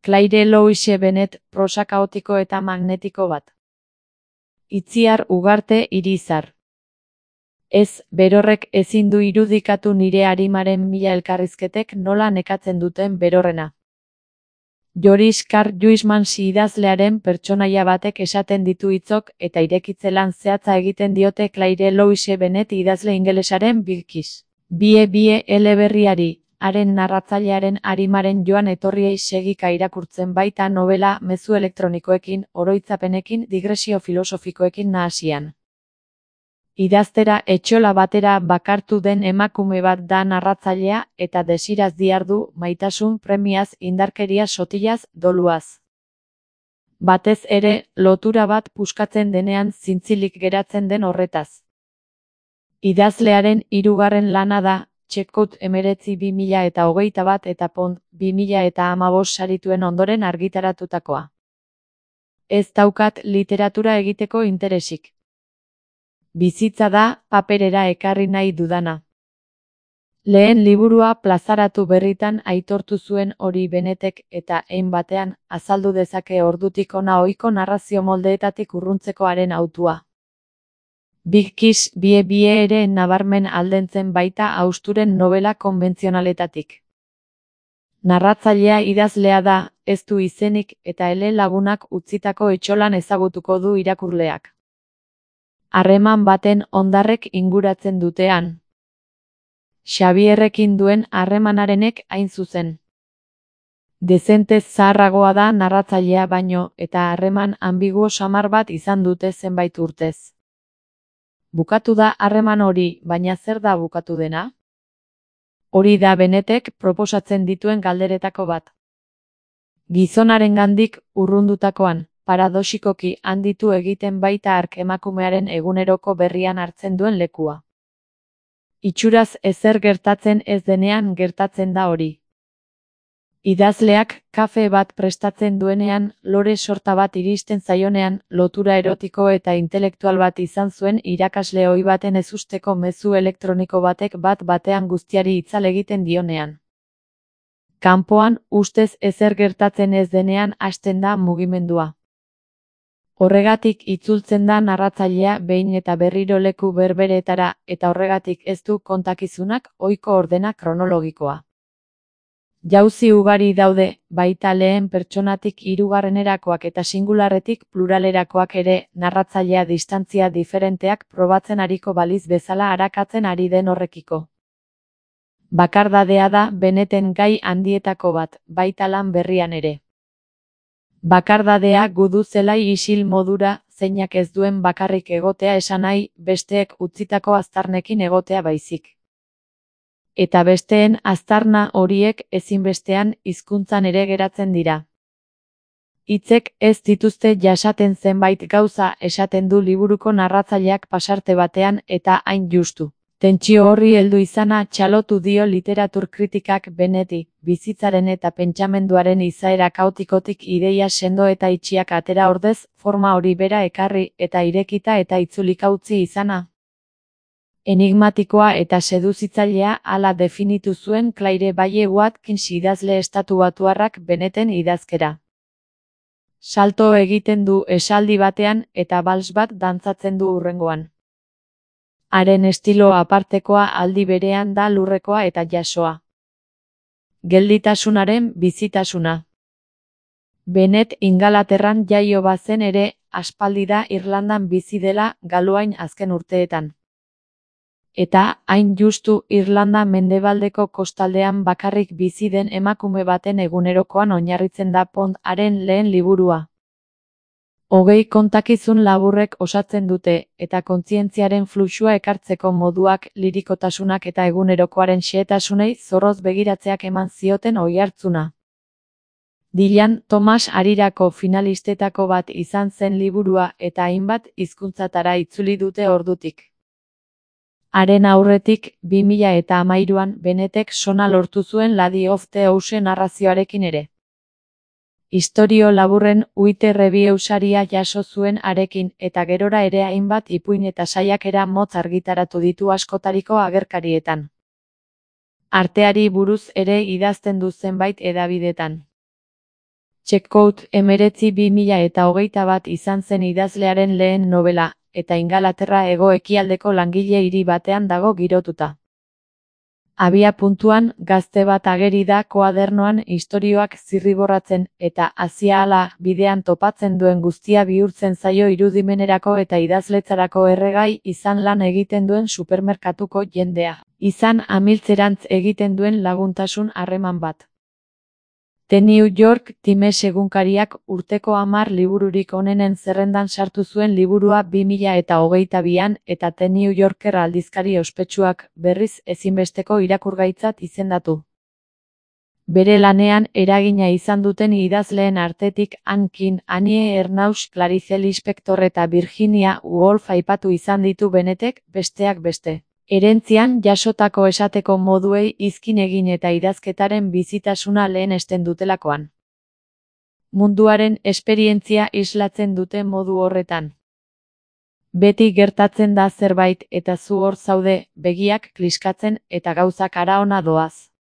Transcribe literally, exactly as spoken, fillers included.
Claire Louise Bennett, prosa kaotiko eta magnetiko bat. Itziar Ugarte Irizar. Ez, berorrek ezin du irudikatu nire arimaren mila elkarrizketek nola nekatzen duten berorrena. Joris Karl Huysmans idazlearen pertsonaia batek esaten ditu hitzok eta irekitzelan zehatza egiten diote Claire Louise Bennett idazle ingelesaren Big Kiss. Bie bie eleberriari, haren narratzailearen arimaren joan etorriei segika irakurtzen baita novela mezu elektronikoekin, oroitzapenekin, digresio filosofikoekin nahasian. Idaztera etxola batera bakartu den emakume bat da narratzailea eta desiraz diardu, maitasun, premiaz, indarkeria sotilaz, doluaz. Batez ere, lotura bat puskatzen denean zintzilik geratzen den horretaz. Idazlearen hirugarren lana da, Txekot emeretzi bi mila eta hogeita bat eta Pont bi mila eta hamabost sarituen ondoren argitaratutakoa. Ez daukat literatura egiteko interesik. Bizitza da, paperera ekarri nahi dudana. Lehen liburua plazaratu berritan aitortu zuen hori Bennettek eta hein batean azaldu dezake ordutik hona ohiko narrazio moldeetatik urruntzeko haren hautua. Big Kiss bie bie ere nabarmen aldentzen baita hausturen novela konbentzionaletatik. Narratzailea idazlea da, ez du izenik eta ele lagunak utzitako etxolan ezagutuko du irakurleak. Harreman baten hondarrek inguratzen dutean. Xabierrekin duen harremanarenek hain zuzen. Dezentez zaharragoa da narratzailea baino eta harreman ambiguo samar bat izan dute zenbait urtez. Bukatu da harreman hori, baina zer da bukatu dena? Hori da Bennettek proposatzen dituen galderetako bat. Gizonarengandik urrundutakoan, paradoxikoki handitu egiten baita hark emakumearen eguneroko berrian hartzen duen lekua. Itxuraz ezer gertatzen ez denean gertatzen da hori. Idazleak kafe bat prestatzen duenean, lore sorta bat iristen zaionean, lotura erotiko eta intelektual bat izan zuen irakasle ohi baten ezusteko mezu elektroniko batek bat batean guztiari itzal egiten dionean. Kanpoan, ustez ezer gertatzen ez denean hasten da mugimendua. Horregatik itzultzen da narratzailea behin eta berriro leku berberetara eta horregatik ez du kontakizunak ohiko ordena kronologikoa. Jauzi ugari daude, baita lehen pertsonatik hirugarrenerakoak eta singularretik pluralerakoak ere, narratzailea distantzia diferenteak probatzen ariko baliz bezala arakatzen ari den horrekiko. Bakardadea da Bennetten gai handietako bat, baita lan berrian ere. Bakardadea gudu zelai isil modura, zeinak ez duen bakarrik egotea esan nahi, besteek utzitako aztarnekin egotea baizik. Eta besteen aztarna horiek ezinbestean hizkuntzan ere geratzen dira. Hitzek ez dituzte jasaten zenbait gauza esaten du liburuko narratzaileak pasarte batean eta hain justu. Tentsio horri heldu izana txalotu dio literatur kritikak Bennetti, bizitzaren eta pentsamenduaren izaera kaotikotik ideia sendo eta itxiak atera ordez, forma hori bera ekarri eta irekita eta itzulika utzi izana. Enigmatikoa eta seduzitzailea hala definitu zuen Claire Baye Watkins idazle estatubatuarrak Bennetten idazkera. Salto egiten du esaldi batean eta bals bat dantzatzen du hurrengoan. Haren estilo apartekoa aldi berean da lurrekoa eta jasoa. Gelditasunaren bizitasuna. Bennett Ingalaterran jaio bazen ere, aspaldi da Irlandan bizi dela Galoain azken urteetan. Eta, hain justu, Irlanda mendebaldeko kostaldean bakarrik bizi den emakume baten egunerokoan oinarritzen da Pont haren lehen liburua. Hogei kontakizun laburrek osatzen dute, eta kontzientziaren fluxua ekartzeko moduak, lirikotasunak eta egunerokoaren xehetasunei zorroz begiratzeak eman zioten oihartzuna. Dylan Thomas Harirako finalistetako bat izan zen liburua eta hainbat hizkuntzatara itzuli dute ordutik. Haren aurretik, bi mila eta hamairuan Bennettek sona lortu zuen Lady of the Ocean narrazioarekin ere. Istorio laburren Wite Review saria jaso zuen harekin eta gerora ere hainbat ipuin eta saiakera motz argitaratu ditu askotariko agerkarietan. Arteari buruz ere idazten du zenbait hedabidetan. Checkpoint hemeretzi bi mila eta hogeita bat izan zen idazlearen lehen nobela, eta Ingalaterra hego-ekialdeko langile hiri batean dago girotuta. Abia puntuan, gazte bat ageri da koadernoan istorioak zirriborratzen, eta aziahala bidean topatzen duen guztia bihurtzen zaio irudimenerako eta idazletzarako erregai izan lan egiten duen supermerkatuko jendea. Izan amiltzerantz egiten duen laguntasun harreman bat. The New York Times egunkariak urteko hamar libururik onenen zerrendan sartu zuen liburua bi mila eta hogeita bian eta The New Yorker aldizkari ospetsuak berriz ezinbesteko irakurgaitzat izendatu. Bere lanean eragina izan duten idazleen artetik Anne King, Annie Ernaux, Clarice Lispector eta Virginia Woolf aipatu izan ditu Bennetek, besteak beste. Herentzian jasotako esateko moduei izkin egin eta idazketaren bizitasuna lehenesten dutelakoan. Munduaren esperientzia islatzen dute modu horretan. Beti gertatzen da zerbait eta zu hor zaude, begiak kliskatzen eta gauzak hara ona doaz.